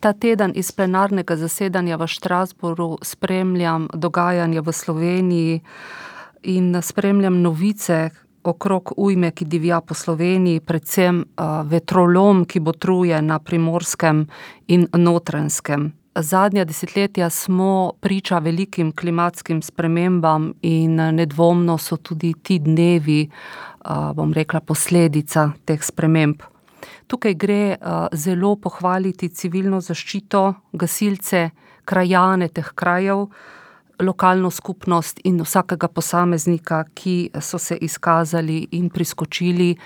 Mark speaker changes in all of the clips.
Speaker 1: Ta teden iz plenarnega zasedanja v Strasbourgu spremljam dogajanje v Sloveniji in spremljam novice okrog ujme, ki divja po Sloveniji, predvsem vetrolom, ki botruje na Primorskem in Notranjskem. Zadnja desetletja smo priča velikim klimatskim spremembam in nedvomno so tudi ti dnevi, posledica teh sprememb. Tukaj gre zelo pohvaliti civilno zaščito, gasilce, krajane teh krajev, lokalno skupnost in vsakega posameznika, ki so se izkazali in priskočili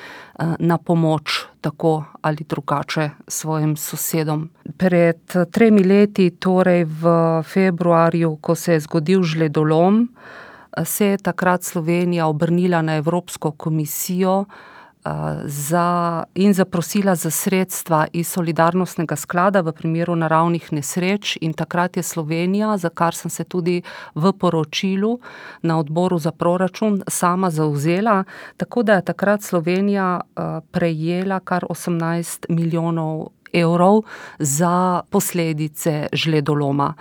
Speaker 1: na pomoč tako ali drugače svojim sosedom. Pred 3 leti, torej v februarju, ko se je zgodil žledolom, se je takrat Slovenija obrnila na Evropsko komisijo in zaprosila za sredstva iz solidarnostnega sklada v primeru naravnih nesreč, in takrat je Slovenija, za kar sem se tudi v poročilu na odboru za proračun sama zavzela, tako da je takrat Slovenija prejela kar 18 milijonov evrov za posledice žledoloma.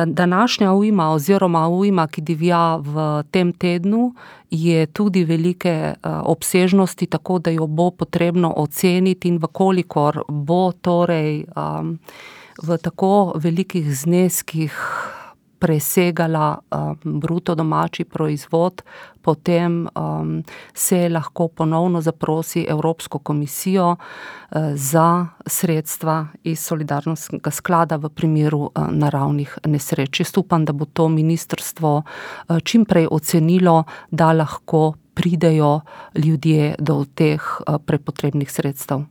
Speaker 1: Današnja ujma oziroma ujma, ki divja v tem tednu, je tudi velike obsežnosti, tako da jo bo potrebno oceniti, in v kolikor bo torej v tako velikih zneskih presegala bruto domači proizvod, potem se lahko ponovno zaprosi Evropsko komisijo za sredstva iz solidarnostnega sklada v primeru naravnih nesreč. Jaz upam, da bo to ministrstvo čim prej ocenilo, da lahko pridejo ljudje do teh prepotrebnih sredstev.